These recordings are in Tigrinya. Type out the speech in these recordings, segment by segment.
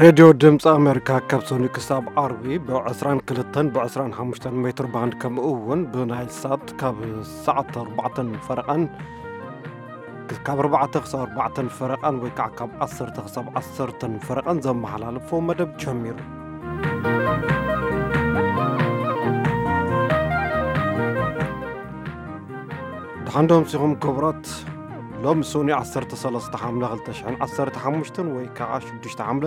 ሬድዮ ድምፂ ኣሜሪካ ካብ ሰኑይ ክሳብ ዓርቢ ብ22 ብ25 ሜትር ባንድ፣ ከምኡ እውን ብናይል ሳት ካብ ሰዓት ኣርባዕተን ፈረቓን፣ ካብ ኣርባዕተ ክሳብ ኣርባዕተን ፈረቓን ወይ ከዓ ካብ ዓሰርተ ክሳብ ዓሰርተን ፈረቓን ዘመሓላልፎ መደብ ጀሚሩ። ደሓን ዶ ኣምሲኹም ክቡራት? ሎሚ ሰኑይ ዓሰርተ ሰለስተ ሓምለ ክልተ ሽሕን ዓሰርተ ሓሙሽተን ወይ ከዓ ሽዱሽተ ሓምለ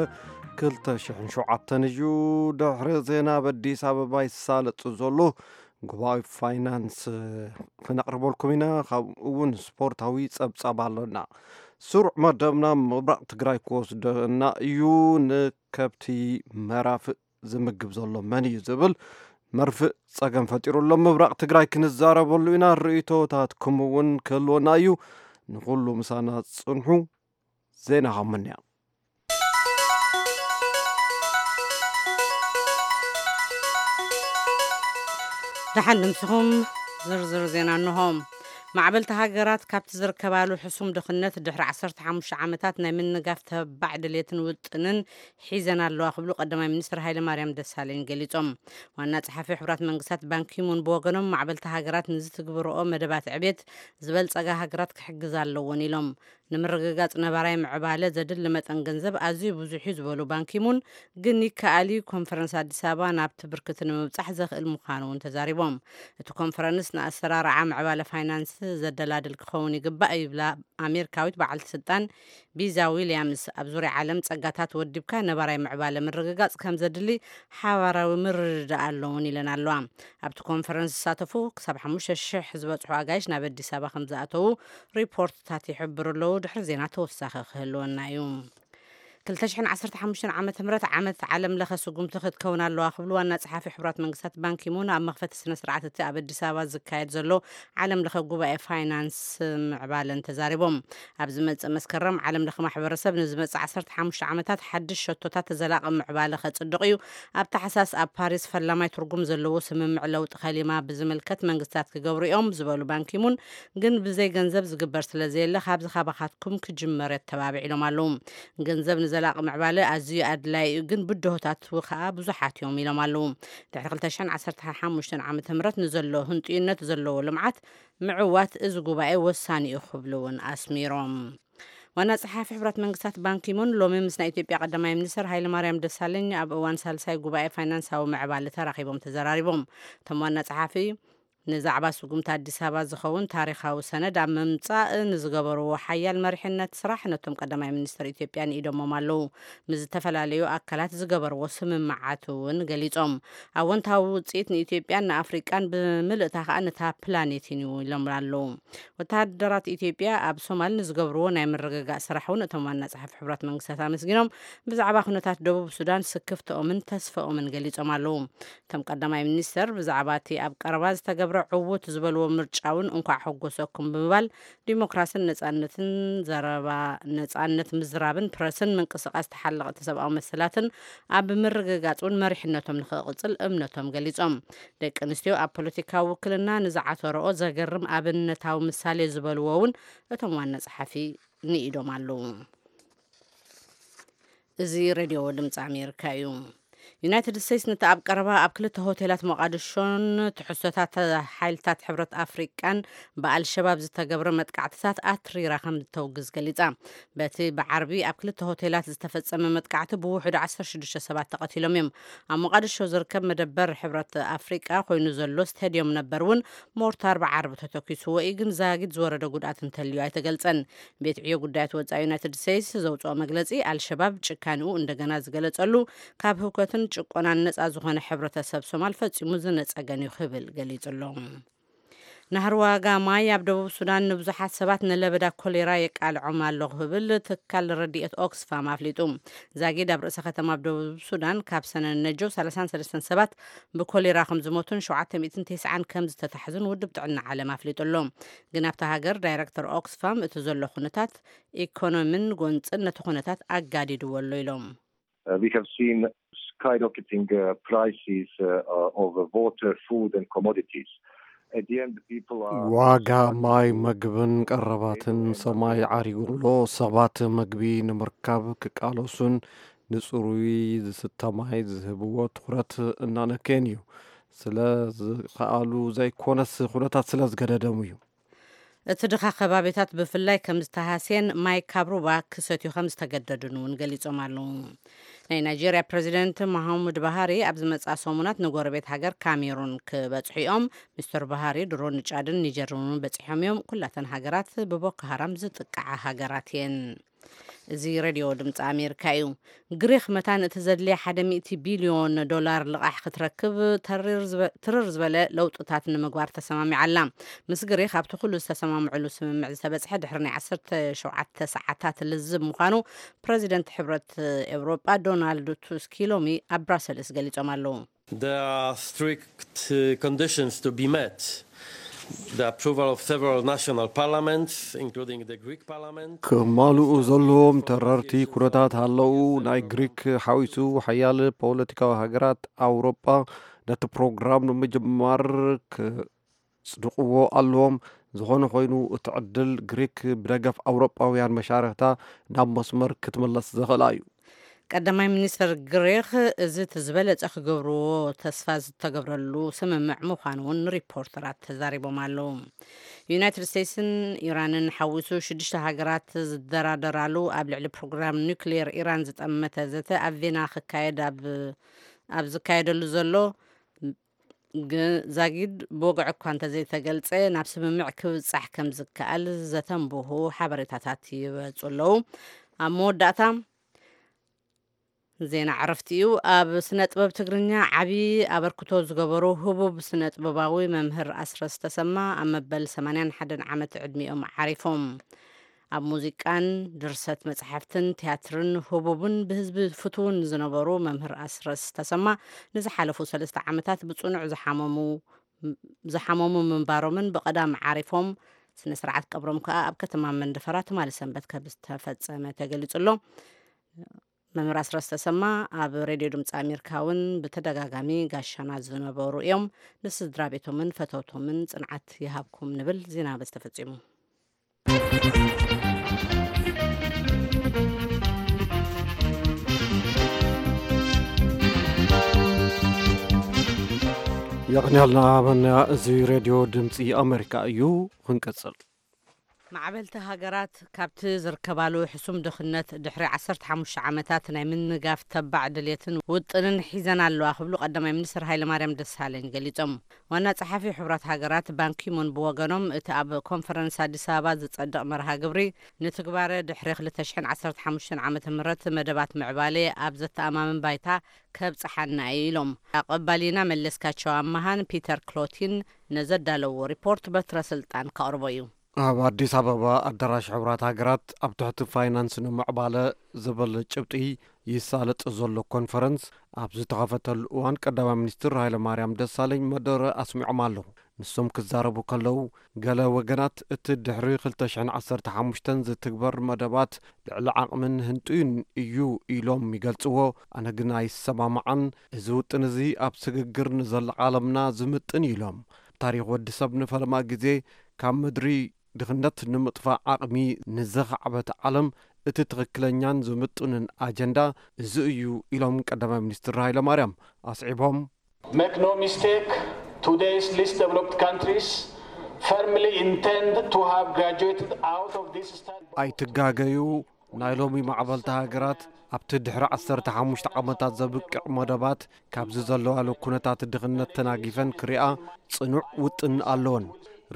ክልተ ሽሕን ሸውዓተን እዩ። ድሕሪ ዜና ኣብ ኣዲስ ኣበባ ይሳለጥ ዘሎ ጉባኤ ፋይናንስ ክነቕርበልኩም ኢና። ካብኡ እውን ስፖርታዊ ጸብጻብ ኣሎና። ስሩዕ መደብና ምብራቕ ትግራይ ክወስደና እዩ። ንከብቲ መራፍእ ዝምግብ ዘሎ መን እዩ ዝብል መርፍእ ጸገም ፈጢሩ ኣሎ። ምብራቕ ትግራይ ክንዛረበሉ ኢና። ርእይቶታትኩም እውን ክህልወና እዩ። ንኹሉ ምሳና ጽንሑ። ዜና ሃሙንያ። ደሓን ንምስኹም። ዝርዝር ዜና እንሆ። ማዕበልቲ ሃገራት ካብቲ ዝርከባሉ ሕሱም ድኽነት ድሕሪ ዓሰርተ ሓሙሽተ ዓመታት ናይ ምንጋፍ ተባዕ ድሌትን ውጥንን ሒዘን ኣለዋ ክብሉ ቀዳማይ ሚኒስትር ሃይለ ማርያም ደሳለኝ ገሊጾም። ዋና ጸሓፊ ሕቡራት መንግስታት ባንኪሙን ብወገኖም፣ ማዕበልቲ ሃገራት ንዝትግብርኦ መደባት ዕቤት ዝበልጸጋ ሃገራት ክሕግዛ ኣለዎን ኢሎም። ንምርግጋጽ ነባራይ ምዕባለ ዘድሊ መጠን ገንዘብ ኣዝዩ ብዙሕ እዩ ዝበሉ ባንኪሙን፣ ግን ይከኣል እዩ፣ ኮንፈረንስ ኣዲስ ኣበባ ናብቲ ብርክቲ ንምብጻሕ ዘኽእል ምዃኑ እውን ተዛሪቦም። እቲ ኮንፈረንስ ንኣሰራርዓ ምዕባለ ፋይናንስ ዘደላድል ክኸውን ይግባእ ይብላ ኣሜሪካዊት በዓልቲ ስልጣን ቢዛ ዊልያምስ። ኣብ ዙርያ ዓለም ጸጋታት ወዲብካ ነባራይ ምዕባለ ምርግጋጽ ከም ዘድሊ ሓባራዊ ምርድዳእ ኣሎ እውን ኢለን ኣለዋ። ኣብቲ ኮንፈረንስ ዝሳተፉ ክሳብ ሓሙሽተ ሽሕ ዝበጽሑ ኣጋይሽ ናብ ኣዲስ ኣበባ ከም ዝኣተዉ ሪፖርትታት ይሕብሩ ኣለዉ። ድሕሪ ዜና ተወሳኺ ክህልወና እዩ። ክልተ ሽሕን ዓሰርተ ሓሙሽተን ዓመተ ምህረት ዓመት ዓለም ለኸ ስጉምቲ ክትከውን ኣለዋ ክብሉ ዋና ጸሓፊ ሕቡራት መንግስታት ባንኪሙን ኣብ መኽፈቲ ስነ ስርዓት እቲ ኣብ ኣዲስ ኣበባ ዝካየድ ዘሎ ዓለም ለኸ ጉባኤ ፋይናንስ ምዕባለን ተዛሪቦም። ኣብ ዝመጽእ መስከረም ዓለም ለኸ ማሕበረሰብ ንዝመጽእ ዓሰርተ ሓሙሽተ ዓመታት ሓድሽ ሸቶታት ዘላቒ ምዕባለ ከጽድቕ እዩ። ኣብ ታሕሳስ ኣብ ፓሪስ ፈላማይ ትርጉም ዘለዎ ስምምዕ ለውጢ ከሊማ ብዝምልከት መንግስታት ክገብሩ እዮም ዝበሉ ባንኪሙን፣ ግን ብዘይ ገንዘብ ዝግበር ስለ ዘየለ ካብዚ ካባኻትኩም ክጅመር የተባብዕ ኢሎም ኣለዉ። ገንዘብ ንዘላቒ ምዕባለ ኣዝዩ ኣድላይ እዩ፣ ግን ብድሆታት ከዓ ብዙሓት እዮም ኢሎም ኣለዉ። ድሕሪ ክልተ ሽሕን ዓሰርተ ሓሙሽተን ዓመተ ምህረት ንዘሎ ህንጡይነት ዘለዎ ልምዓት ምዕዋት እዚ ጉባኤ ወሳኒ እዩ ክብሉ እውን ኣስሚሮም። ዋና ጸሓፊ ሕቡራት መንግስታት ባንኪሙን ሎሚ ምስ ናይ ኢትዮጵያ ቀዳማይ ሚኒስትር ሃይለማርያም ደሳለኝ ኣብ እዋን ሳልሳይ ጉባኤ ፋይናንሳዊ ምዕባለ ተራኺቦም ተዘራሪቦም። እቶም ዋና ጸሓፊ ንዛዕባ ስጉምቲ ኣዲስ ኣበባ ዝኸውን ታሪኻዊ ሰነድ ኣብ ምምጻእ ንዝገበርዎ ሓያል መሪሕነት ስራሕ ነቶም ቀዳማይ ሚኒስትር ኢትዮጵያ ንኢዶሞም ኣለዉ። ምስ ዝተፈላለዩ ኣካላት ዝገበርዎ ስምምዓት እውን ገሊጾም። ኣወንታዊ ውጽኢት ንኢትዮጵያን ንኣፍሪቃን ብምልእታ ከኣ ነታ ፕላኔትን እዩ ኢሎም ኣለዉ። ወተሃደራት ኢትዮጵያ ኣብ ሶማል ንዝገብርዎ ናይ ምርግጋእ ስራሕ እውን እቶም ዋና ጸሓፊ ሕቡራት መንግስታት ኣመስጊኖም። ብዛዕባ ኩነታት ደቡብ ሱዳን ስክፍትኦምን ተስፈኦምን ገሊጾም ኣለዉ። እቶም ቀዳማይ ሚኒስተር ብዛዕባ እቲ ኣብ ቀረባ ዝተገብረ ዕዉት ዝበልዎ ምርጫ እውን እንኳዕ ሓጎሰኩም ብምባል፣ ዲሞክራስን ነጻነትን ዘረባ ነጻነት ምዝራብን ፕረስን ምንቅስቃስ ተሓለቕቲ ሰብኣዊ መሰላትን ኣብ ምርግጋጽ እውን መሪሕነቶም ንኽቕጽል እምነቶም ገሊጾም። ደቂ ኣንስትዮ ኣብ ፖለቲካዊ ውክልና ንዝዓተረኦ ዘገርም ኣብነታዊ ምሳሌ ዝበልዎ እውን እቶም ዋና ጸሓፊ ንኢዶም ኣለዉ። እዚ ሬድዮ ድምፂ ኣሜሪካ እዩ። ዩናይትድ ስቴትስ ነቲ ኣብ ቀረባ ኣብ ክልተ ሆቴላት ሞቓድሾን ትሕዝቶታት ሓይልታት ሕብረት ኣፍሪቃን ብኣልሸባብ ዝተገብረ መጥቃዕትታት ኣትሪራ ከም እተውግዝ ገሊጻ። በቲ ብዓርቢ ኣብ ክልተ ሆቴላት ዝተፈጸመ መጥቃዕቲ ብውሕዱ ዓሰርተ ሽዱሽተ ሰባት ተቐቲሎም እዮም። ኣብ ሞቓድሾ ዝርከብ መደበር ሕብረት ኣፍሪቃ ኮይኑ ዘሎ ስታድዮም ነበር እውን ሞርታር ብዓርቢ ተተኪስዎ እዩ፣ ግን ዛጊድ ዝወረደ ጉድኣት እንተልዩ ኣይተገልጸን። ቤት ዕዮ ጉዳያት ወጻኢ ዩናይትድ ስቴትስ ዘውጽኦ መግለጺ፣ ኣልሸባብ ጭካኔኡ እንደገና ዝገለጸሉ፣ ካብ ህውከትን ጭቆናን ነጻ ዝኾነ ሕብረተሰብ ሶማል ፈጺሙ ዝነጸገን እዩ ክብል ገሊጹ ኣሎ። ናህሪ ዋጋ ማይ ኣብ ደቡብ ሱዳን ንብዙሓት ሰባት ንለበዳ ኮሌራ የቃልዖም ኣሎ ክብል ትካል ረድኤት ኦክስፋም ኣፍሊጡ። ዛጊድ ኣብ ርእሰ ከተማ ኣብ ደቡብ ሱዳን ካብ ሰነ ነጆ ሰላሳን ሰለስተን ሰባት ብኮሌራ ከም ዝሞቱን ሸውዓተ ሚእትን ተስዓን ከም ዝተታሕዙን ውድብ ጥዕና ዓለም ኣፍሊጡ ኣሎ። ግን ኣብታ ሃገር ዳይረክተር ኦክስፋም እቲ ዘሎ ኩነታት ኢኮኖሚን ጎንፅን ነቲ ኩነታት ኣጋዲድዎ ኣሎ ኢሎም። Uh, we have seen skyrocketing uh, prices uh, uh, of uh, water, food, and commodities. At the end, the people are ዋጋ ማይ፣ ምግብን ቀረባትን ሰማይ ዓሪጉ ኣሎ። ሰባት ምግቢ ንምርካብ ክቃለሱን ንጽሩይ ዝስተ ማይ ዝህብዎ ትኹረት እናነከየን እዩ። ስለ ዝኸኣሉ ዘይኮነስ፣ ኩነታት ስለ ዝገደደሙ እዩ። እቲ ድኻ ከባቢታት ብፍላይ ከም ዝተሃስየን ማይ ካብ ሩባ ክሰትዩ ከም ዝተገደዱን እውን ገሊጾም ኣለዉ። ናይ ናይጄርያ ፕረዚደንት መሃሙድ ባሃሪ ኣብ ዝመጽኣ ሰሙናት ንጎረቤት ሃገር ካሜሩን ክበጽሑ እዮም። ሚስተር ባሃሪ ድሮ ንጫድን ኒጀርን እውን በጺሖም እዮም። ኩላተን ሃገራት ብቦኮ ሃራም ዝጥቃዓ ሃገራት እየን። እዚ ሬድዮ ድምፂ ኣሜሪካ እዩ። ግሪክ መታን እቲ ዘድልያ ሓደ ሚእቲ ቢልዮን ዶላር ልቓሕ ክትረክብ ተሪር ዝበ-፣ ትርር ዝበለ ለውጥታት ንምግባር ተሰማሚዓ ኣላ። ምስ ግሪክ ኣብቲ ኩሉ ዝተሰማምዕሉ ስምምዕ ዝተበፅሐ ድሕሪ ናይ ዓሰርተ ሸውዓተ ሰዓታት ልዝብ ምዃኑ ፕረዚደንት ሕብረት ኤውሮጳ ዶናልድ ቱስኪ ሎሚ ኣብ ብራሰልስ ገሊጾም ኣለዉ። There are strict, uh, conditions to be met. The approval of several national parliaments, including the Greek parliament. ክማልኡ ዘለዎም ተረርቲ ኩነታት ኣለዉ። ናይ ግሪክ ሓዊሱ ሓያል ፖለቲካዊ ሃገራት ኣውሮጳ ነቲ ፕሮግራም ንምጅማር ክጽድቕዎ ኣለዎም። ዝኾነ ኮይኑ እቲ ዕድል ግሪክ ብደገፍ ኣውሮጳውያን መሻርኽታ ናብ መስመር ክትምለስ ዘኽእላ እዩ። ቀዳማይ ሚኒስትር ግሪክ እዚ እቲ ዝበለጸ ክገብርዎ ተስፋ ዝተገብረሉ ስምምዕ ምዃኑ እውን ሪፖርተራት ተዛሪቦም ኣለዉ። ዩናይትድ ስቴትስን ኢራንን ሓዊሱ ሽዱሽተ ሃገራት ዝደራደራሉ ኣብ ልዕሊ ፕሮግራም ኒውክሌር ኢራን ዝጠመተ ዘተ ኣብ ቬና ክካየድ ኣብ፣ ኣብ ዝካየደሉ ዘሎ ግ-፣ ዛጊድ ብወግዒ እኳ እንተዘይተገልጸ ናብ ስምምዕ ክብጻሕ ከም ዝከኣል ዘተንብሁ ሓበሬታታት ይወጹ ኣለዉ። ኣብ መወዳእታ ዜና ዕረፍቲ እዩ። ኣብ ስነ ጥበብ ትግርኛ ዓቢ ኣበርክቶ ዝገበሩ ህቡብ ስነ ጥበባዊ መምህር ኣስረስ ተሰማ ኣብ መበል ሰማንያን ሓደን ዓመት ዕድሚኦም ዓሪፎም። ኣብ ሙዚቃን ድርሰት መጽሓፍትን ቲያትርን ህቡብን ብህዝቢ ፍቱውን ዝነበሩ መምህር ኣስረስ ተሰማ ንዝሓለፉ ሰለስተ ዓመታት ብጽኑዕ ዝሓመሙ፣ ዝሓመሙ ምንባሮምን ብቐዳም ዓሪፎም፣ ስነ ስርዓት ቀብሮም ከኣ ኣብ ከተማ መንደፈራ ትማሊ ሰንበት ከም ዝተፈጸመ ተገሊጹ ኣሎ። መምህር ኣስረስ ተሰማ ኣብ ሬድዮ ድምፂ ኣሜሪካ እውን ብተደጋጋሚ ጋሻና ዝነበሩ እዮም። ንስድራ ቤቶምን ፈተውቶምን ጽንዓት ይሃብኩም ንብል። ዜና በዚ ተፈጺሙ። የቕንያልና መና፣ እዚ ሬድዮ ድምፂ ኣሜሪካ እዩ። ክንቀጽል። ማዕበልቲ ሃገራት ካብቲ ዝርከባሉ ሕሱም ድኽነት ድሕሪ ዓሰርተ ሓሙሽተ ዓመታት ናይ ምንጋፍ ተባዕ ድሌትን ውጥንን ሒዘን ኣለዋ ክብሉ ቀዳማይ ሚኒስትር ሃይለማርያም ደሳለኝ ገሊጾም። ዋና ጸሓፊ ሕቡራት ሃገራት ባንኪሙን ብወገኖም እቲ ኣብ ኮንፈረንስ ኣዲስ ኣበባ ዝጸድቕ መርሃ ግብሪ ንትግባረ ድሕሪ ክልተ ሽሕን ዓሰርተ ሓሙሽተን ዓመተ ምህረት መደባት ምዕባለ ኣብ ዘተኣማምን ባይታ ከብጽሓና እዩ ኢሎም። ኣቐባሊና መለስካቸው ኣመሃን ፒተር ክሎቲን ነዘዳለዎ ሪፖርት በትረ ስልጣን ከቕርቦ እዩ። ኣብ ኣዲስ ኣበባ ኣዳራሽ ሕቡራት ሃገራት ኣብ ትሕቲ ፋይናንስ ንምዕባለ ዝብል ጭብጢ ይሳለጥ ዘሎ ኮንፈረንስ ኣብ ዝተኸፈተሉ እዋን ቀዳማይ ሚኒስትር ሃይለማርያም ደሳለኝ መደረ ኣስሚዖም ኣለዉ። ንሶም ክዛረቡ ከለዉ፣ ገለ ወገናት እቲ ድሕሪ ክልተ ሽሕን ዓሰርተ ሓሙሽተን ዝትግበር መደባት ልዕሊ ዓቕምን ህንጡይን እዩ ኢሎም ይገልጽዎ። ኣነ ግን ኣይሰማማዓን። እዚ ውጥን እዚ ኣብ ስግግር ንዘላ ዓለምና ዝምጥን እዩ ኢሎም። ታሪኽ ወዲ ሰብ ንፈለማ ግዜ ካብ ምድሪ ድኽነት ንምጥፋእ ዓቕሚ ንዘኻዕበት ዓለም እቲ ትኽክለኛን ዝምጥንን ኣጀንዳ እዚ እዩ ኢሎም ቀዳማይ ሚኒስትር ሃይለማርያም ኣስዒቦም። Make no mistake, today's least developed countries firmly intend to have graduated out of this study. ኣይትጋገዩ፣ ናይ ሎሚ ማዕበልቲ ሃገራት ኣብቲ ድሕሪ ዓሰርተ ሓሙሽተ ዓመታት ዘብቅዕ መደባት ካብዚ ዘለዋሉ ኩነታት ድኽነት ተናጊፈን ክሪኣ ጽኑዕ ውጥን ኣለወን።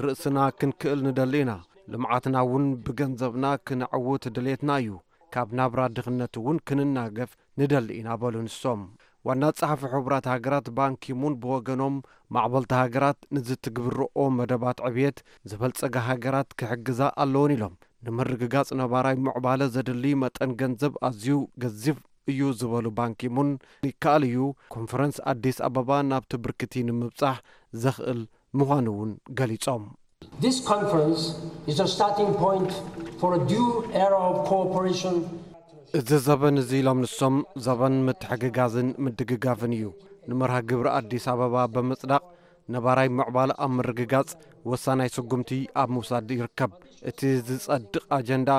ርእስና ክንክእል ንደሊ ኢና። ልምዓትና እውን ብገንዘብና ክነዕውት ድሌትና እዩ። ካብ ናብራ ድኽነት እውን ክንናገፍ ንደሊ ኢና በሉ ንሶም። ዋና ጸሓፊ ሕቡራት ሃገራት ባንኪሙን ብወገኖም ማዕበልቲ ሃገራት ንዝትግብርኦ መደባት ዕብየት ዝበልጸጋ ሃገራት ክሕግዛ ኣለወን ኢሎም። ንምርግጋጽ ነባራይ ምዕባለ ዘድሊ መጠን ገንዘብ ኣዝዩ ገዚፍ እዩ ዝበሉ ባንኪሙን፣ ይከኣል እዩ ኮንፈረንስ ኣዲስ ኣበባ ናብቲ ብርክቲ ንምብጻሕ ዘኽእል ምዃኑ እውን ገሊጾም። This conference is a starting point for a new era of cooperation. እዚ ዘበን እዚ ኢሎም ንሶም ዘበን ምትሕግጋዝን ምድግጋፍን እዩ። ንመርሃ ግብሪ ኣዲስ ኣበባ ብምጽዳቕ ነባራይ ምዕባለ ኣብ ምርግጋጽ ወሳናይ ስጉምቲ ኣብ ምውሳድ ይርከብ። እቲ ዝጸድቕ ኣጀንዳ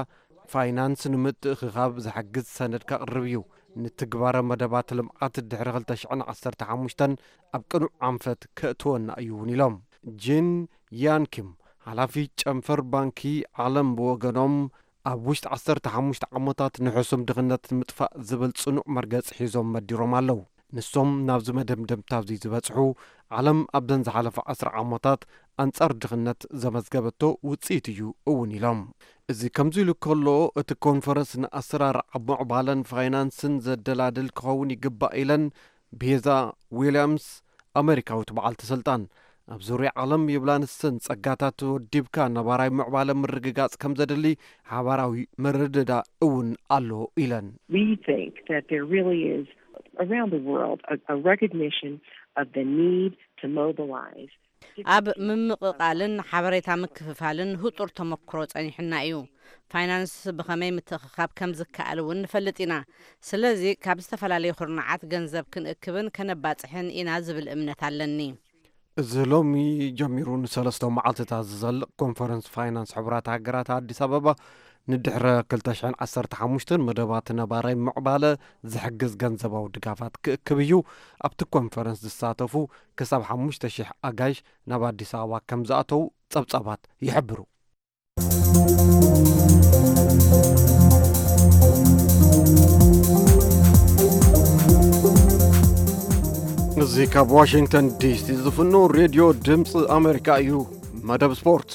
ፋይናንስ ንምትእኽኻብ ዝሕግዝ ሰነድ ከቕርብ እዩ። ንትግባረ መደባት ልምዓት ድሕሪ ክልተ ሽሕን ዓሰርተ ሓሙሽተን ኣብ ቅኑዕ ኣንፈት ከእትወና እዩ እውን ኢሎም። ጂን ያን ኪም፣ ሓላፊ ጨንፈር ባንኪ ዓለም ብወገኖም፣ ኣብ ውሽጢ ዓሰርተ ሓሙሽተ ዓመታት ንሕሱም ድኽነት ንምጥፋእ ዝብል ጽኑዕ መርገጽ ሒዞም መዲሮም ኣለዉ። ንሶም ናብዚ መደምደምታ እዚ ዝበጽሑ፣ ዓለም ኣብዘን ዝሓለፈ ዓስር ዓመታት ኣንጻር ድኽነት ዘመዝገበቶ ውጽኢት እዩ እውን ኢሎም። እዚ ከምዚ ኢሉ ከሎ፣ እቲ ኮንፈረንስ ንኣሰራርዓ ምዕባለን ፋይናንስን ዘደላድል ክኸውን ይግባእ ኢለን ቤዛ ዊልያምስ፣ ኣመሪካዊት በዓልቲ ስልጣን። ኣብ ዙርያ ዓለም ይብላ ንሰን ጸጋታት ወዲብካ ነባራይ ምዕባለ ምርግጋጽ ከም ዘድሊ ሓባራዊ ምርድዳእ እውን ኣሎ ኢለን። We think that there really is around the world a, a recognition of the need to mobilize. ኣብ ምምቕቓልን ሓበሬታ ምክፍፋልን ህጹር ተመክሮ ጸኒሑና እዩ። ፋይናንስ ብኸመይ ምትእኽኻብ ከም ዝከኣል እውን ንፈልጥ ኢና። ስለዚ ካብ ዝተፈላለዩ ኩርናዓት ገንዘብ ክንእክብን ከነባጽሕን ኢና ዝብል እምነት ኣለኒ። እዚ ሎሚ ጀሚሩ ንሰለስተ መዓልትታት ዝዘልቕ ኮንፈረንስ ፋይናንስ ሕቡራት ሃገራት ኣዲስ ኣበባ ንድሕረ ክልተ ሽሕን ዓሰርተ ሓሙሽተን መደባት ነባራይ ምዕባለ ዝሕግዝ ገንዘባዊ ድጋፋት ክእክብ እዩ። ኣብቲ ኮንፈረንስ ዝሳተፉ ክሳብ ሓሙሽተ ሽሕ ኣጋይሽ ናብ ኣዲስ ኣበባ ከም ዝኣተዉ ጸብጻባት ይሕብሩ። እዚ ካብ ዋሽንግተን ዲሲ ዝፍኖ ሬድዮ ድምፂ ኣሜሪካ እዩ። መደብ ስፖርት።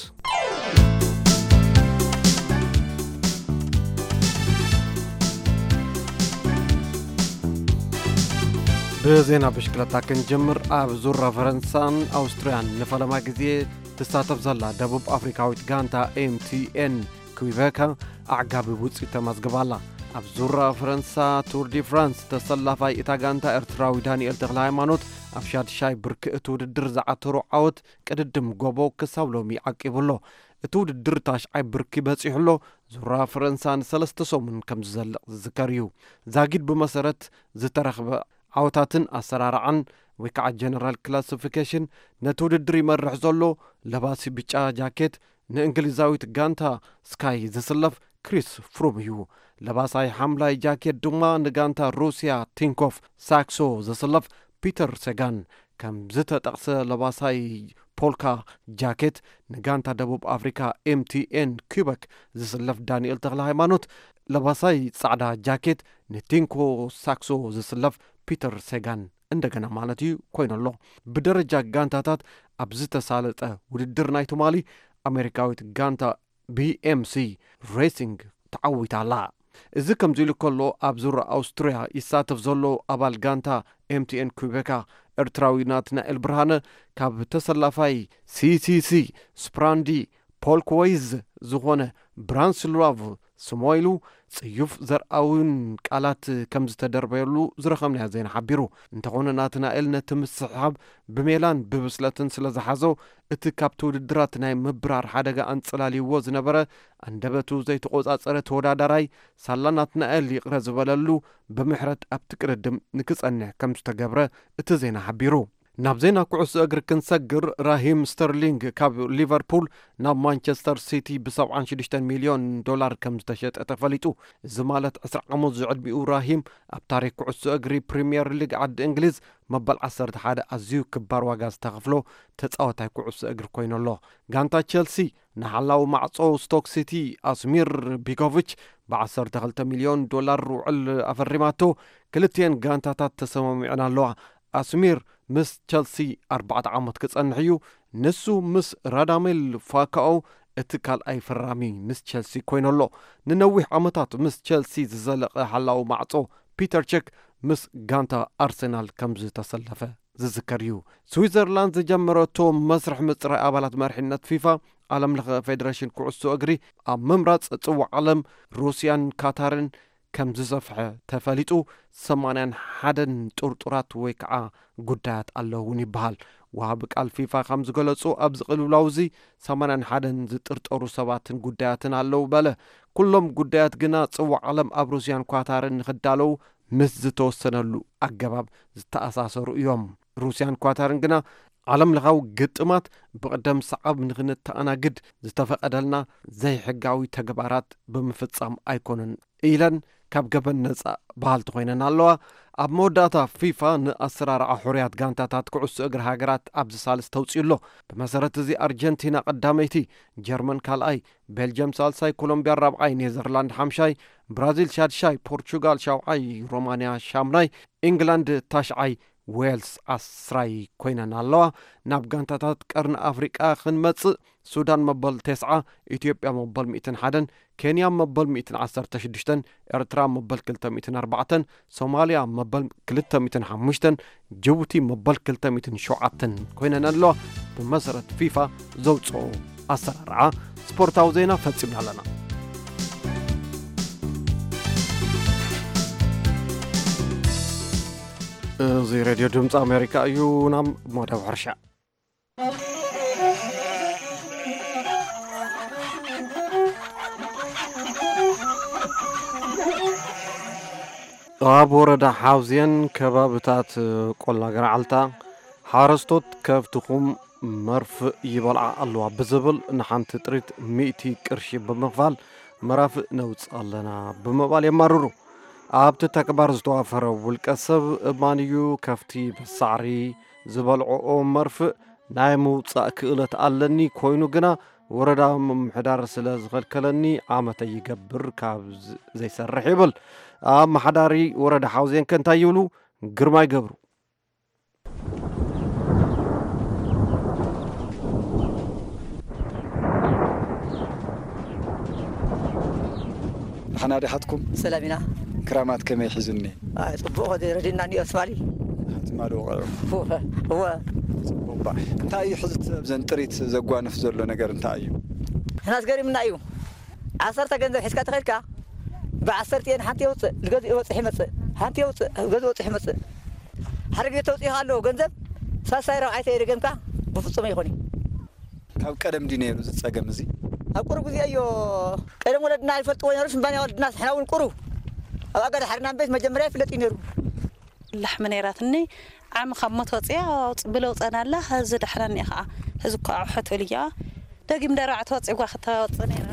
ብዜና ብሽክለታ ክንጀምር። ኣብ ዙራ ፈረንሳን ኣውስትርያን ንፈለማ ግዜ ትሳተፍ ዘላ ደቡብ ኣፍሪካዊት ጋንታ ኤምቲኤን ኩይበካ ኣዕጋቢ ውፅኢት ተመዝግባ ኣላ። ኣብ ዙራ ፈረንሳ ቱር ዲ ፍራንስ ተሰላፋይ እታ ጋንታ ኤርትራዊ ዳንኤል ተኽለ ሃይማኖት ኣብ ሻድሻይ ብርኪ እቲ ውድድር ዝዓተሮ ዓወት ቅድድም ጎቦ ክሳብ ሎሚ ዓቂቡ ኣሎ። እቲ ውድድር ታሽዓይ ብርኪ በጺሑ ኣሎ። ዙራ ፈረንሳ ንሰለስተ ሰሙን ከም ዝዘልቕ ዝዝከር እዩ። ዛጊድ ብመሰረት ዝተረኽበ ዓወታትን ኣሰራርዓን ወይ ከዓ ጀነራል ክላሲፊኬሽን ነቲ ውድድር ይመርሕ ዘሎ ለባሲ ብጫ ጃኬት ንእንግሊዛዊት ጋንታ ስካይ ዝስለፍ ክሪስ ፍሩም እዩ። ለባሳይ ሓምላይ ጃኬት ድማ ንጋንታ ሩስያ ቲንኮፍ ሳክሶ ዝስለፍ ፒተር ሰጋን ከም ዝተጠቕሰ ለባሳይ ፖልካ ጃኬት ንጋንታ ደቡብ ኣፍሪካ ኤምቲኤን ኩበክ ዝስለፍ ዳንኤል ተኽለ ሃይማኖት ለባሳይ ጻዕዳ ጃኬት ንቲንኮ ሳክሶ ዝስለፍ ፒተር ሰጋን እንደገና ማለት እዩ ኮይኑ ኣሎ። ብደረጃ ጋንታታት ኣብ ዝተሳለጠ ውድድር ናይ ትማሊ ኣሜሪካዊት ጋንታ ቢኤምሲ ሬሲንግ ተዓዊታ ኣላ። እዚ ከምዚ ኢሉ ከሎ ኣብ ዙር ኣውስትርያ ይሳተፍ ዘሎ ኣባል ጋንታ ኤምቲኤን ኩቤካ ኤርትራዊ ናትናኤል ብርሃነ ካብ ተሰላፋይ ሲሲሲ ስፕራንዲ ፖልክወይዝ ዝኾነ ብራንስላቭ ስሞይሉ ጽዩፍ ዘርኣውን ቃላት ከም ዝተደርበየሉ ዝረኸብናዮ ዜና ሓቢሩ። እንተኾነ ናትናኤል ነቲ ምስሕሓብ ብሜላን ብብስለትን ስለ ዝሓዞ እቲ ካብቲ ውድድራት ናይ ምብራር ሓደጋ ኣንጸላልይዎ ዝነበረ ኣንደበቱ ዘይተቖጻጸረ ተወዳዳራይ ሳላ ናትናኤል ይቕረ ዝበለሉ ብምሕረት ኣብቲ ቅድድም ንክጸንሕ ከም ዝተገብረ እቲ ዜና ሓቢሩ። ናብ ዜና ኩዕሶ እግሪ ክንሰግር ራሂም ስተርሊንግ ካብ ሊቨርፑል ናብ ማንቸስተር ሲቲ ብ76 ሚልዮን ዶላር ከም ዝተሸጠ ተፈሊጡ። እዚ ማለት ዕስራ ዓመት ዝዕድሚኡ ራሂም ኣብ ታሪክ ኩዕሶ እግሪ ፕሪምየር ሊግ ዓዲ እንግሊዝ መበል ዓሰርተ ሓደ ኣዝዩ ክባር ዋጋ ዝተኸፍሎ ተጻወታይ ኩዕሶ እግሪ ኮይኑ ኣሎ። ጋንታ ቸልሲ ንሓላዊ ማዕጾ ስቶክ ሲቲ ኣስሚር ቢኮቪች ብ12 ሚልዮን ዶላር ውዕል ኣፈሪማቶ። ክልቲኤን ጋንታታት ተሰማሚዐን ኣለዋ። ኣስሚር ምስ ቸልሲ ኣርባዕተ ዓመት ክጸንሕ እዩ። ንሱ ምስ ራዳሜል ፋካኦ እቲ ካልኣይ ፈራሚ ምስ ቸልሲ ኮይኑ ኣሎ። ንነዊሕ ዓመታት ምስ ቸልሲ ዝዘለቐ ሓላዊ ማዕጾ ፒተር ቸክ ምስ ጋንታ ኣርሰናል ከም ዝተሰለፈ ዝዝከር እዩ። ስዊዘርላንድ ዝጀመረቶ መስርሕ ምፅራይ ኣባላት መሪሕነት ፊፋ ዓለም ለኸ ፌዴሬሽን ኩዕሶ እግሪ ኣብ ምምራፅ ፅዋዕ ዓለም ሩስያን ካታርን ከም ዝሰፍሐ ተፈሊጡ። ሰማንያን ሓደን ጥርጡራት ወይ ከዓ ጉዳያት ኣለውን ይበሃል። ወሃቢ ቃል ፊፋ ከም ዝገለፁ ኣብዚ ቅልውላው እዚ ሰማንያን ሓደን ዝጥርጠሩ ሰባትን ጉዳያትን ኣለዉ በለ። ኩሎም ጉዳያት ግና ፅዋዕ ዓለም ኣብ ሩስያን ኳታርን ንክዳለዉ ምስ ዝተወሰነሉ ኣገባብ ዝተኣሳሰሩ እዮም። ሩስያን ኳታርን ግና ዓለም ለኻዊ ግጥማት ብቕደም ሰዓብ ንኽንተኣናግድ ዝተፈቐደልና ዘይሕጋዊ ተግባራት ብምፍጻም ኣይኮነን ኢለን ካብ ገበን ነጻ በሃልቲ ኮይነን ኣለዋ። ኣብ መወዳእታ ፊፋ ንኣሰራርዓ ሕሩያት ጋንታታት ኩዕሶ እግሪ ሃገራት ኣብዚ ሳልስ ተውፅኡ ኣሎ። ብመሰረት እዚ ኣርጀንቲና ቀዳመይቲ፣ ጀርመን ካልኣይ፣ ቤልጅየም ሳልሳይ፣ ኮሎምቢያ ራብዓይ፣ ኔዘርላንድ ሓምሻይ፣ ብራዚል ሻድሻይ፣ ፖርቹጋል ሻውዓይ፣ ሮማንያ ሻምናይ፣ ኢንግላንድ ታሽዓይ፣ ዌልስ ዓስራይ ኮይነን ኣለዋ። ናብ ጋንታታት ቀርኒ ኣፍሪቃ ክንመጽእ፣ ሱዳን መበል ተስዓ፣ ኢትዮጵያ መበል ሚእትን ሓደን፣ ኬንያ መበል ሚእትን ዓሰርተ ሽዱሽተን፣ ኤርትራ መበል ክልተ ሚእትን ኣርባዕተን፣ ሶማልያ መበል ክልተ ሚእትን ሓሙሽተን፣ ጅቡቲ መበል ክልተ ሚእትን ሸውዓተን ኮይነን ኣለዋ። ብመሰረት ፊፋ ዘውፅኦ ኣሰራርዓ ስፖርታዊ ዜና ፈጺምና ኣለና። እዚ ሬድዮ ድምፂ ኣሜሪካ እዩ። ናብ መደብ ሕርሻ። ኣብ ወረዳ ሓውዜን ከባብታት ቆላ ገርዓልታ ሓረስቶት ከብትኹም መርፍእ ይበልዓ ኣለዋ ብዝብል ንሓንቲ ጥሪት ሚእቲ ቅርሺ ብምኽፋል መራፍእ ነውፅእ ኣለና ብምባል የማርሩ። ኣብቲ ተግባር ዝተዋፈረ ውልቀ ሰብ እማን እዩ ከፍቲ ብሳዕሪ ዝበልዕኦ መርፍእ ናይ ምውፃእ ክእለት ኣለኒ፣ ኮይኑ ግና ወረዳ ምምሕዳር ስለ ዝኸልከለኒ ዓመተ ይገብር ካብ ዝ-፣ ዘይሰርሕ ይብል። ኣመሓዳሪ ወረዳ ሓውዜን ከ እንታይ ይብሉ? ግርማይ ገብሩ። ደሓና ዲኻትኩም? ሰላም ኢና። ክራማት ከመይ ሒዙኒ? ኣይ፣ ጽቡቕ፣ ረዲእና እኒኦ ትማሊ። ትማሊ ወቒዑ? እወ፣ እወ። ጽቡቕ እባ። እንታይ እዩ ሕዚ ኣብዘን ጥሪት ዘጓንፍ ዘሎ ነገር እንታይ እዩ? ንሕናስ ገሪምና እዩ። ዓሰርተ ገንዘብ ሒዝካ ተኸድካ፣ ብዓሰርተ እየን ሓንቲ የውፅእ፣ ዝገዝእ ይወፅሕ ይመፅእ፣ ሓንቲ የውፅእ፣ ዝገዝእ ይወፅሕ ይመፅእ። ሓደ ግዜ ተውፅኢኻ ኣለዎ ገንዘብ፣ ሳልሳይ ራብዓይ ተየደገምካ፣ ብፍፁም ኣይኾን እዩ። ካብ ቀደም ድዩ ነይሩ እዚ ጸገም እዚ? ኣብ ቁሩብ ግዜ እዮ። ቀደም ወለድና ይፈልጥዎ ነይሩ፣ ሽምባንያ ወለድና፣ ንሕና እውን ቁሩብ ኣብ ኣጋዳ ሓርና እምበይስ መጀመርያ ይፍለጥ እዩ ነይሩ። ላሕሚ ነይራትኒ፣ ዓሚ ካብ ሞት ወፅያ፣ ኣውፅ-፣ ብለውፀና ኣላ፣ ሕዚ ዳሕና እኒኣ ኸዓ። ሕዚ እኮ ኣውሐት እልያ፣ ደጊም ደራዕ ተወፂጓ ክተወፅእ ነይራ።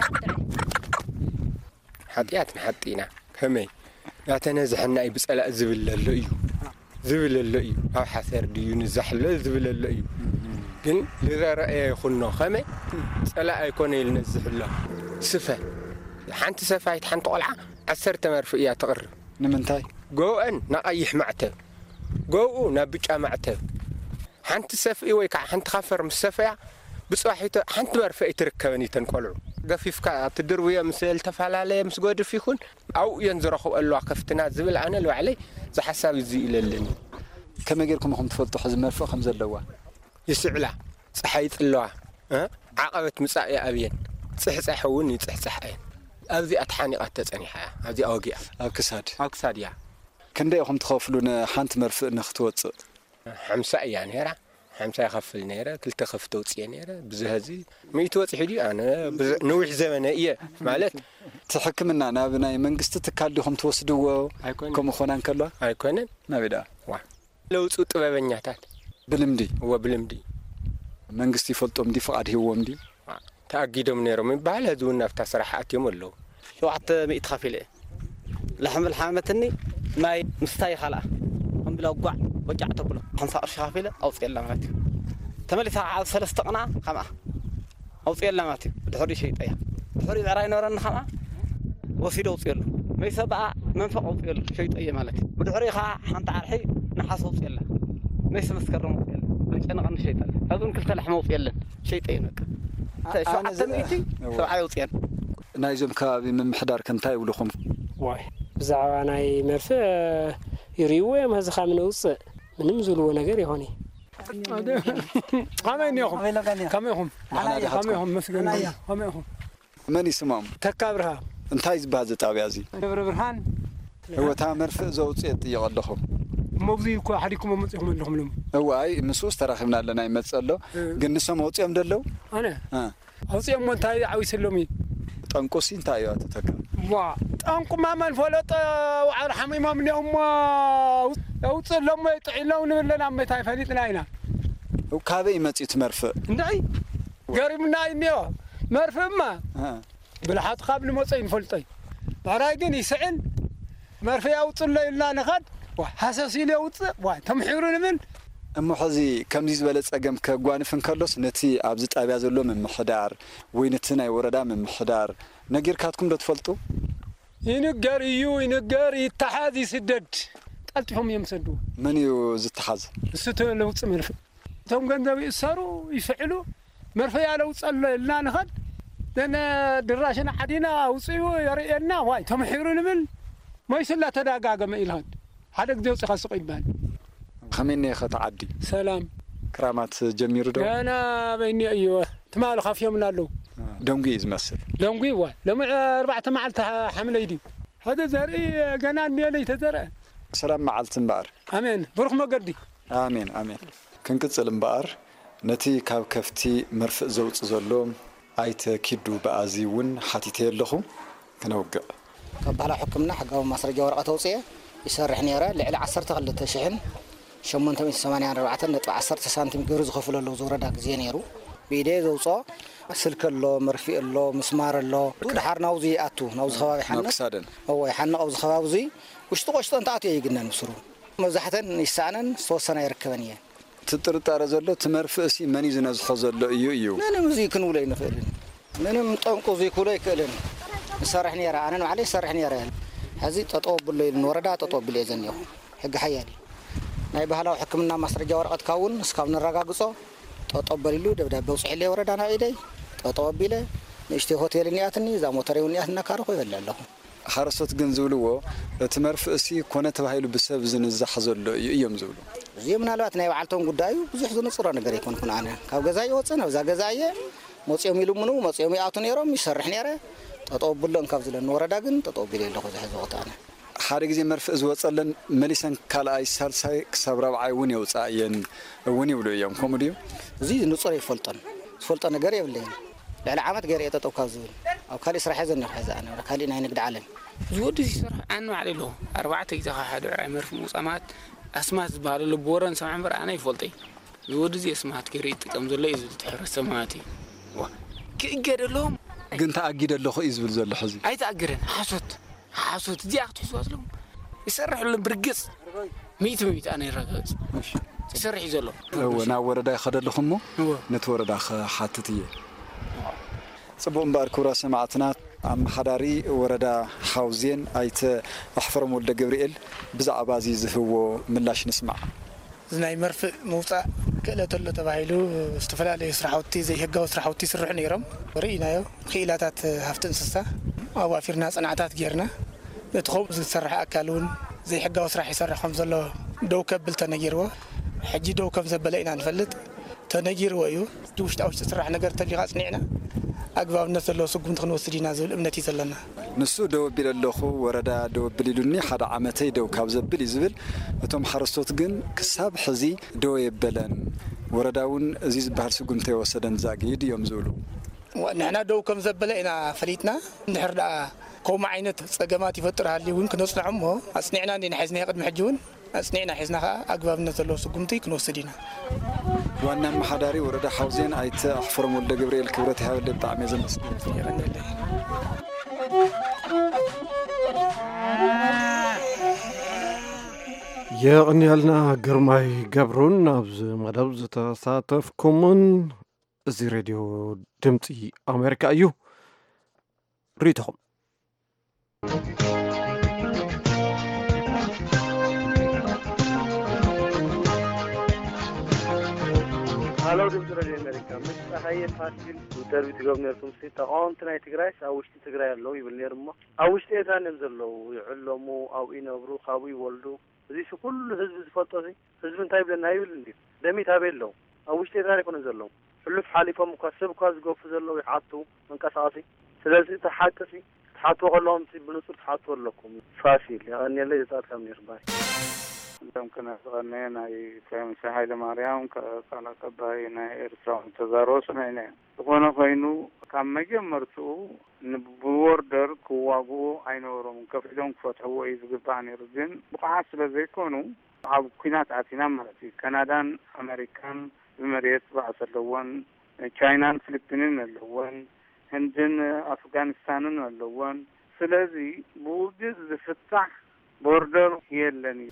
ሓጢኣት ንሓጢ ኢና። ከመይ? ናተነዝሐና እዩ ብጸላእ ዝብል ዘሎ እዩ። ዝብል ኣሎ እዩ። ኣብ ሓሰር ድዩ ንዛሕ ኣሎ ዝብል ኣሎ እዩ። ግን ዝረኣየ ይኹኖ። ከመይ? ጸላእ ኣይኮነ ኢሉ ነዝሕ ኣሎ። ስፈ። ሓንቲ ሰፋይት ሓንቲ ቆልዓ ዓሰርተ መርፍእ እያ ትቕርብ። ንምንታይ? ጎብአን ናቐይሕ ማዕተብ፣ ጎብኡ ናብ ብጫ ማዕተብ። ሓንቲ ሰፍኢ ወይ ከዓ ሓንቲ ካፈር ምስ ሰፈያ ብፅባሒቶ ሓንቲ መርፍእ ኣይትርከበን እዩ ተን ቆልዑ። ገፊፍካ ትድርብዮ ምስ ዝተፈላለየ ምስ ጎድፍ ይኹን ኣብኡ እየን ዝረኽብኦ ኣለዋ ከፍትና ዝብል ኣነ ንባዕለይ ዝሓሳብ እዚ ኢለ ኣለኒ። ከመይ ጌርኩም ኢኹም ትፈልጡ ሕዚ መርፍእ ከም ዘለዋ? ይስዕላ፣ ፀሓይ ይፅለዋ፣ እ? ዓቐበት ምፃእ ይኣብየን፣ ፅሕፃሕ እውን ይፅሕፃሕ እየን። ኣብዚኣ ተሓኒቓ ተፀኒሓ እያ፣ ኣብዚኣ ወጊኣ። ኣብ ክሳድ? ኣብ ክሳድ እያ። ክንደይ ኢኹም ትኸፍሉ ንሓንቲ መርፍእ ንክትወፅእ? ሓምሳ እያ ነይራ። ሓምሳ ይኸፍል ነይረ፣ ክልተ ከፍቲ ኣውፅኤ ነይረ። ብዝህ እዚ ሚእቲ ወፂሑ ድዩ? ኣነ ብዝ-፣ ነዊሕ ዘመነ እየ ማለት። እቲ ሕክምና ናብ ናይ መንግስቲ ትካል ዲኹም ትወስድዎ? ኣይኮነን። ከምኡ ኾና እንከሎ? ኣይኮነን። ናበይ ደኣ? ዋ። ለውፁ ጥበበኛታት። ብልምዲ? እወ፣ ብልምዲ። መንግስቲ ይፈልጦም ድዩ? ፍቓድ ሂብዎም ድዩ? ዋ። ተኣጊዶም ነይሮም ይበሃል። ሕዚ እውን ናብታ ስራሕ ኣትዮም ኣለዉ። ሸውዓተ ሚእቲ ከፊለ እየ። ላሕሚ ልሓመትኒ ማይ ምስታይ ይኻልኣ። ከም ብላ ጓዕ ወጫዕ ተብሎ ሓምሳ ቅርሺ ከፊለ ኣውፅኤላ ማለት እዩ። ተመሊሳ ከዓ ኣብ ሰለስተ ቅና ከምኣ ኣውፅኤላ ማለት እዩ። ድሕሪ ሸይጠያ። ድሕሪ ብዕራይ ነበረኒ ከምኣ ወሲዶ ኣውፅኤሉ። መይሰ በኣ መንፈቕ ኣውፅኤሉ ሸይጠየ ማለት እዩ። ብድሕሪ ከዓ ሓንቲ ዓርሒ ነሓስ ኣውፅኤላ። መይሰ መስከረም ኣውፅኤላ። መጨነቐኒ ሸይጠላ። ካብኡን ክልተ ላሕሚ ኣውፅኤለን። ሸይጠየን በቃ። ሸውዓተ ሚእቲ እወ። ሰብዓ የውፅኤን። ናይዞም ከባቢ ምምሕዳር ከ እንታይ ይብሉኹም? ዋይ፣ ብዛዕባ ናይ መርፍእ ይርእይዎ እዮም። ሕዚ ካብ ንውፅእ ምንም ዝብልዎ ነገር ይኾን እዩ። ከመይ እኒኹም? ከመይ ኢኹም? ንዓና ዲኻ ከመይ ኢኹም? መስገን። ከመይ ኢኹም? መን ይስሞም? ተካ ብርሃ። እንታይ ዝበሃል እዚ ጣብያ እዚ? ደብረ ብርሃን። እወ፣ እታ መርፍእ ዘውፅኤ ጥይቕ ኣለኹ። እሞ ኣብዚ እኮ ሓዲግኩም መፂኹም ኣለኹም ሎም። እወ፣ ኣይ፣ ምስኡስ ተራኺብና ኣለና፣ ይመፅእ ኣሎ። እ። ግን ንሶም ኣውፅኦም ዶ ኣለዉ? ኣነ? እ። ኣውፅኦሞ እንታይ ዓዊሰሎም እዩ? ጠንቁሲ እንታይ እዩ ኣቶ ተካ? ዋ፣ ጠንቁማ መን ፈለጦ? ዋዕሮ ሓሚሞም እኒኦም እሞ ኣውፅእሎም ወይ ጥዒሎም ንብለና እሞ እንታይ ፈሊጥና ኢና? ካበይ መጺኡ እቲ መርፍእ? እንታይ ገሪሙና እዩ እኒኦ። መርፍእማ እ። ብልሓቱ ካብ ንመጾ ይንፈልጦ እዩ። ብዕራይ ግን ይስዕን፣ መርፍእ ያውጽሎ ኢልና ንኸድ፣ ዋ፣ ሃሰስ ኢሉ የውጽእ፣ ዋ፣ ተምሒሩ ንብል። እሞ ሕዚ ከምዚ ዝበለ ጸገም ከጓንፍ እንከሎስ፣ ነቲ ኣብዚ ጣብያ ዘሎ ምምሕዳር ወይ ነቲ ናይ ወረዳ ምምሕዳር ነጊርካትኩም ዶ ትፈልጡ? ይንገር እዩ፣ ይንገር፣ ይተሓዝ፣ ይስደድ። ቀልጢፎም እዮም ዝሰድዎ። መን እዩ ዝተሓዝ? እሱ ተ-፣ ለውጢ መርፍእ። እቶም ገንዘብ ይእሰሩ፣ ይስዕሉ። መርፍእ ያለውጸሎ ኢልና ንኸድ። ዘነ ድራሽን ዓዲና ኣውፅኡ የርእየና። ዋይ፣ ተምሒሩ ንብል። መይሱ እናተዳጋገመ ኢልኸድ። ሓደ ግዜ ውፅኻ ስቕ ይበሃል። ከመይ እኒኦ ኸ እቲ ዓዲ? ሰላም። ክራማት ጀሚሩ ዶ? ገና በይኒ እዩ። ትማሊ ካፍዮምና ኣለዉ። ደንጉ እዩ ዝመስል። ደንጉ ይዋ። ሎሚ ኣርባዕተ መዓልቲ ሓ-፣ ሓምለይ ድዩ? ሕዚ ዘርኢ ገና እኒኦ ለይተዘርአ። ሰላም መዓልቲ እምበኣር። ኣሜን። ብሩኽ መገዲ። ኣሜን፣ ኣሜን። ክንቅጽል እምበኣር፣ ነቲ ካብ ከፍቲ መርፍእ ዘውጽእ ዘሎ ኣይተ ኪዱ በኣዚ እውን ሓቲተዮ ኣለኹ። ክነውግዕ። ካብ ባህላዊ ሕክምና ሕጋዊ ማስረጃ ወረቐት ኣውፅኤ ይሰርሕ ነይረ። ልዕሊ ዓሰርተ ክልተ ሽሕን ሸሞንተ ሚእቲ ሰማንያን ኣርባዕተን ነጥቢ ዓሰርተ ሳንቲም ግብሪ ዝኸፍሉ ኣለዉ ዝወረዳ ግዜ ነይሩ። ብኢደየ ዘውፅኦ ስልኪ ኣሎ፣ መርፍእ ኣሎ፣ ምስማር ኣሎ። ድሓር ናብዚ ይኣቱ፣ ናብዚ ከባቢ ናብ ሓንቕ። ክሳደን። እወ፣ ይሓንቕ ኣብዚ ከባቢ እዚ ውሽጢ ቆሽጦ እንተኣትዮ ይግነን ብስሩ። መብዛሕተን ይሰኣነን ዝተወሰና ይርከበን እየ። እቲ ጥርጣረ ዘሎ፣ እቲ መርፍእሲ መን እዩ ዝነዝሖ ዘሎ እዩ እዩ። ምንም እዚ ክንብሎ ኣይንኽእልን። ምንም ጠንቁ እዚ ክብሎ ኣይክእልን። እሰርሕ ነይረ፣ ኣነ ንባዕለይ እሰርሕ ነይረ። ሕዚ ጠጠው ኣብሎ ኢሉኒ፣ ወረዳ ጠጠው ኣቢለ እየ ዘኒኹ። ሕጊ ሓያል እዩ። ናይ ባህላዊ ሕክምና ማስረጃ ወረቐትካ እውን እስካብ ነረጋግጾ ጠጠው በል ኢሉ ደብዳቤ ኣውፅሒለይ ወረዳ ናብ ኢደይ። ጠጠው ኣቢለ ንእሽተይ ሆቴል እኒኣትኒ፣ እዛ ሞተረይ እውን እኒኣትና ካርኹ ይበልዕ ኣለኹ። ሓረስቶት ግን ዝብልዎ፣ እቲ መርፍእሲ ኮነ ተባሂሉ ብሰብ ዝንዛሕ ዘሎ እዩ እዮም ዝብሉ። እዚ ምናልባት ናይ ባዕልቶም ጉዳይ እዩ፣ ብዙሕ ዝንጽሮ ነገር ኣይኮንኩን። ኣነ ካብ ገዛ ይወፅእ፣ ናብዛ ገዛ እየ። መፂኦም ይልምኑ፣ መፂኦም ይኣቱ ነይሮም፣ ይሰርሕ ነይረ። ጠጠው ኣብሎ እንካብ ዝለኒ ወረዳ ግን ጠጠው ኣቢለ ኣለኹ፣ እዚ ሕዚ ወቕቲ ኣነ። ሓደ ግዜ መርፍእ ዝወፀለን መሊሰን ካልኣይ፣ ሳልሳይ ክሳብ ራብዓይ እውን የውፅኣ እየን እውን ይብሉ እዮም። ከምኡ ድዩ? እዚ ንጹር ኣይፈልጦን። ዝፈልጦ ነገር የብለይን። ልዕሊ ዓመት ገይረ እየ ጠጠው ካብ ዝብል። ኣብ ካሊእ ስራሕ እየ ዘኒኹ ሕዚ ኣነ፣ ወደ ካሊእ ናይ ንግዲ ዓለም። እዚ ወዲ እዚ ይሰርሕ ኣነ ባዕለይ ኣለኹ። ኣርባዕተ ግዜ ካብ ሓደ ብዕራይ መርፍእ ምውፃእ ማለት ኣስማት ዝበሃል ኣሎ፣ ብወረ ንሰምዖ እምበር ኣነ ኣይፈልጦ እየ። እዚ ወዲ እዚ ኣስማት ገይሩ ይጥቀም ዘሎ እዩ ዝብል፣ እቲ ሕብረተሰብ ማለት እዩ። ዋ፣ ክእገድ ኣለዎም። ግን ተኣጊደ ኣለኹ እዩ ዝብል ዘሎ ሕዚ። ኣይተኣገደን፣ ሓሶት፣ ሓሶት። እዚኣ ክትሕዝዋ ዘለዎም። ይሰርሕ ኣሎ ብርግጽ። ሚእቲ ሚእቲ ኣነ ይረጋግጽ። እሺ። ይሰርሕ እዩ ዘሎ። እወ፣ ናብ ወረዳ ይኸደ ኣለኹ እሞ እወ። ነቲ ወረዳ ክሓትት እየ። ጽቡቕ እምበኣር፣ ክቡራት ሰማዕትና፣ ኣመሓዳሪ ወረዳ ሓውዜን ኣይተ ኣሕፈሮም ወልደ ገብርኤል ብዛዕባ እዚ ዝህብዎ ምላሽ ንስማዕ። እዚ ናይ መርፍእ ምውጻእ ክእለት ኣሎ ተባሂሉ ዝተፈላለዩ ስራሕቲ፣ ዘይሕጋዊ ስራሕቲ ይስርሑ ነይሮም። ርኢናዮ። ክኢላታት ሃፍቲ እንስሳ ኣዋፊርና፣ ጽንዓታት ጌርና። ነቲ ከምኡ ዝሰርሕ ኣካል እውን ዘይሕጋዊ ስራሕ ይሰርሕ ከም ዘሎ ደው ከብል ተነጊርዎ። ሕጂ ደው ከም ዘበለ ኢና ንፈልጥ። ተነጊርዎ እዩ። እቲ ውሽጣ ውሽጢ ስራሕ ነገር ተሊኻ ኣጽኒዕና ኣግባብነት ዘለዎ ስጉምቲ ክንወስድ ኢና ዝብል እምነት እዩ ዘለና። ንሱ ደው ኣቢለ ኣለኹ፣ ወረዳ ደው ኣብል ኢሉኒ፣ ሓደ ዓመተይ ደው ካብ ዘብል እዩ ዝብል። እቶም ሓረስቶት ግን ክሳብ ሕዚ ደው የበለን። ወረዳ እውን እዚ ዝበሃል ስጉምቲ ኣይወሰደን ዛጊድ እዮም ዝብሉ። ዋ-፣ ንሕና ደው ከም ዘበለ ኢና ፈሊጥና። እንድሕር ደኣ ከምኡ ዓይነት ጸገማት ይፈጥር ሃልዩ እውን ክነጽንዖ እሞ ኣጽኒዕና እንዲና ሒዝናዮ ቅድሚ ሕጂ እውን። ኣጽኒዕና ሒዝና ከኣ ኣግባብነት ዘለዎ ስጉምቲ ክንወስድ ኢና። ዋና ኣመሓዳሪ ወረዳ ሓውዜን ኣይተ ኣሕፈሮም ወልደ ገብርኤል፣ ክብረት ይሃበለይ፣ ብጣዕሚ እየ ዘመስግን። የቐንየልና ግርማይ ገብሩን ኣብዚ መደብ ዝተሳተፍኩምን። እዚ ሬድዮ ድምፂ ኣሜሪካ እዩ። ርእይቶኹም። ሃሎ፣ ድምፂ ሬድዮ ኣሜሪካ፣ ምስ ፀሃየ ፋሲል ኢንተርቪው ትገብሩ ነርኩም ሲ፣ ተቃወምቲ ናይ ትግራይስ ኣብ ውሽጢ ትግራይ ኣለዉ ይብል ነይሩ እሞ፣ ኣብ ውሽጢ ኤርትራ እዮም ዘለዉ፣ ይዕለሙ፣ ኣብኡ ይነብሩ፣ ካብኡ ይወልዱ። እዚ ሲ ኩሉ ህዝቢ ዝፈልጦ ሲ፣ ህዝቢ እንታይ ይብለና ይብል እንድዩ? ደሚት ኣበይ ኣለዉ? ኣብ ውሽጢ ኤርትራ ኣይኮኑን ዘለዉ። ሕሉፍ ሓሊፎም እኳ፣ ሰብ እኳ ዝገፉ ዘለዉ ይሓቱ መንቀሳቐሲ። ስለዚ እቲ ሓቂ ሲ፣ ክትሓትዎ ከለኹም ሲ፣ ብንጹር ክትሓትዎ ኣለኩም። ፋሲል፣ የቐንየለይ ዘጻወትካኒ ርባይ። እዞም ክነስቐኒ ናይ ፕራይም ሚኒስተር ሃይለማርያም ከ-፣ ቃል ኣቀባይ ናይ ኤርትራውን ተዛረቦ ሰሚዕና ኢና። ዝኾነ ኮይኑ፣ ካብ መጀመርትኡ ን-፣ ብቦርደር ክዋግኡ ኣይነበሮምን። ከፊሎም ክፈትሕዎ እዩ ዝግባእ ነይሩ። ግን ብቑዓት ስለ ዘይኮኑ፣ ኣብ ኲናት ኣቲና ማለት እዩ። ካናዳን ኣመሪካን ብመሬት ባእሲ ኣለወን። ቻይናን ፊሊፒንን ኣለወን። ህንድን ኣፍጋኒስታንን ኣለወን። ስለዚ ብውግእ ዝፍታሕ ቦርደር የለን እዩ።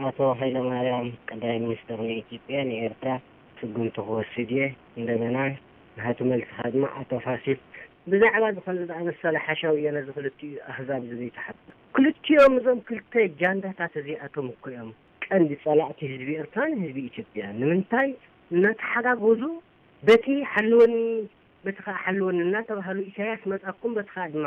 ኣቶ ሃይለማርያም ቀዳማይ ሚኒስትር ናይ ኢትዮጵያ ንኤርትራ ስጉምቲ ክወስድ እየ። እንደገና ናቱ መልስኻ ድማ ኣቶ ፋሲል ብዛዕባ ዝኾነ ዝኣመሰለ ሓሻዊ እየ ነዚ ክልቲኡ ኣህዛብ እዚ ዘይተሓቱ። ክልቲኦም እዞም ክልተ ጃንዳታት እዚኣቶም እኮ እዮም ቀንዲ ጸላእቲ ህዝቢ ኤርትራን ህዝቢ ኢትዮጵያ። ንምንታይ እናተሓጋገዙ በቲ ሓልወኒ በቲ ኸዓ ሓልወኒ እናተባህሉ ኢሳያስ መጻኩም በቲ ኸዓ ድማ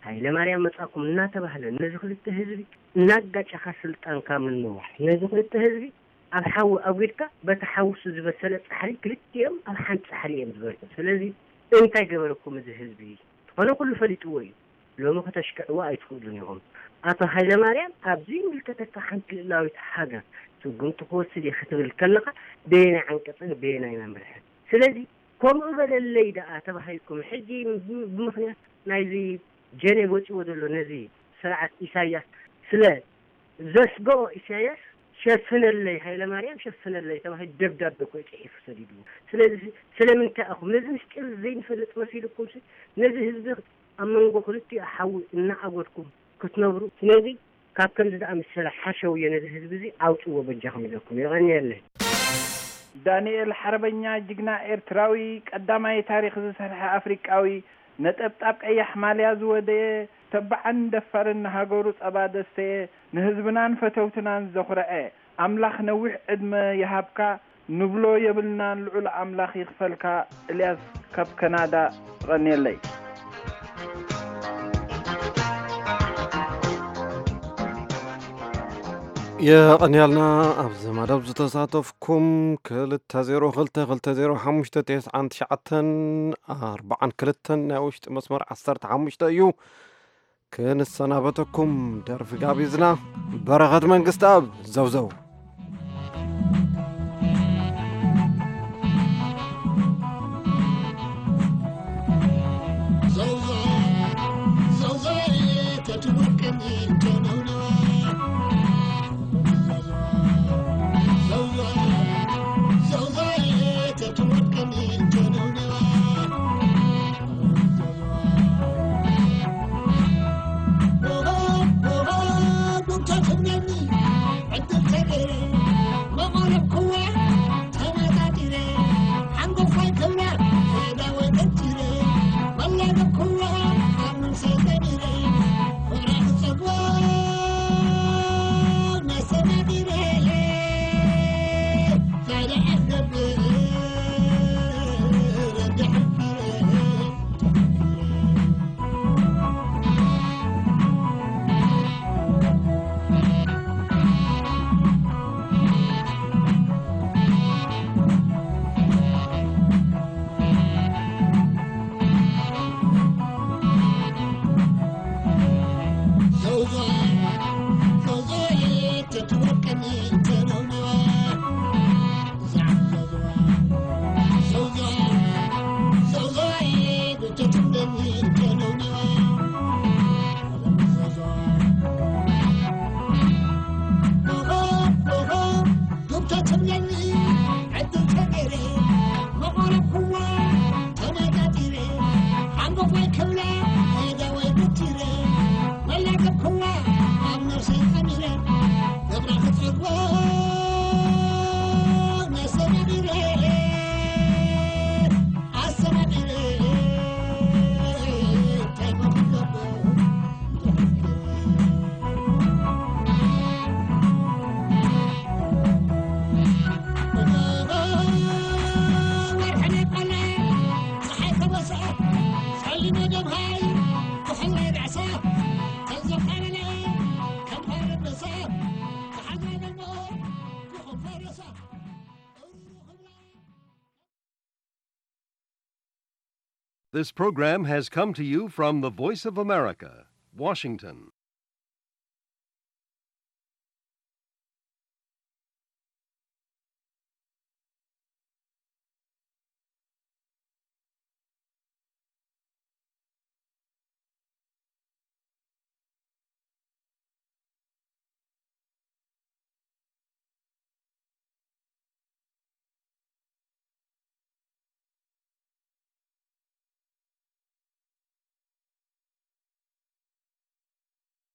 ሃይለ ማርያም መጻኩም እናተባህለ ነዚ ክልተ ህዝቢ እናጋጨኻ ስልጣንካ ምንዋሕ ነዚ ክልተ ህዝቢ ኣብ ሓዊ ኣጒድካ በቲ ሓውሱ ዝበሰለ ጻሕሊ ክልቲኦም ኣብ ሓንቲ ጻሕሊ እዮም ዝበልዑ። ስለዚ እንታይ ገበረኩም እዚ ህዝቢ? ዝኾነ ኩሉ ፈሊጥዎ እዩ። ሎሚ ከተሽክዕዎ ኣይትኽእሉን ኢኹም። ኣቶ ሃይለማርያም ኣብ ዘይምልከተካ ሓንቲ ልእላዊት ሃገር ስጉምቲ ክወስድ እየ ክትብል ከለኻ በየናይ ዓንቀፅን በየናይ መምርሕን? ስለዚ ከምኡ በለለይ ደኣ ተባሂልኩም ሕጂ ብምኽንያት ናይዚ ጀኔቭ ወፂዎ ዘሎ ነዚ ስርዓት ኢሳያስ ስለ ዘስግኦ ኢሳያስ ሸፍነለይ ሃይለማርያም ሸፍነለይ ተባሂሉ ደብዳቤ እኮ እዩ ፅሒፉ ሰዲድዎ። ስለዚ ስለምንታይ ኢኹም ነዚ ምስጢር ዘይንፈልጥ መሲልኩም ነዚ ህዝቢ ኣብ መንጎ ክልቲኡ ሓዊ እናኣጎድኩም ክትነብሩ? ስለዚ ካብ ከምዚ ዝኣመሰለ ሓሸውየ ነዚ ህዝቢ እዚ ኣውፅዎ በጃኹም ኢለኩም። የቐንየለይ። ዳንኤል ሓርበኛ ጅግና ኤርትራዊ ቀዳማይ ታሪኽ ዝሰርሐ ኣፍሪቃዊ ነጠብጣብ ቀያሕ ማልያ ዝወደየ ተባዕን ደፋርን ንሃገሩ ጸባ ዘስተየ ንህዝብናን ፈተውትናን ዘኹረዐ ኣምላኽ ነዊሕ ዕድመ ይሃብካ ንብሎ የብልናን ልዑል ኣምላኽ ይኽፈልካ። እልያስ ካብ ከናዳ የቐንየለይ። የቐንያልና ኣብዚ መደብ ዝተሳተፍኩም ክልተ ዜሮ ክልተ ክልተ ዜሮ ሓሙሽተ ተስዓን ትሽዓተን ኣርባዓን ክልተን ናይ ውሽጢ መስመር ዓሰርተ ሓሙሽተ እዩ። ክንሰናበተኩም ደርፊ ጋቢዝና። በረኸት መንግስትኣብ። ዘውዘው። This program has come to you from the Voice of America, Washington.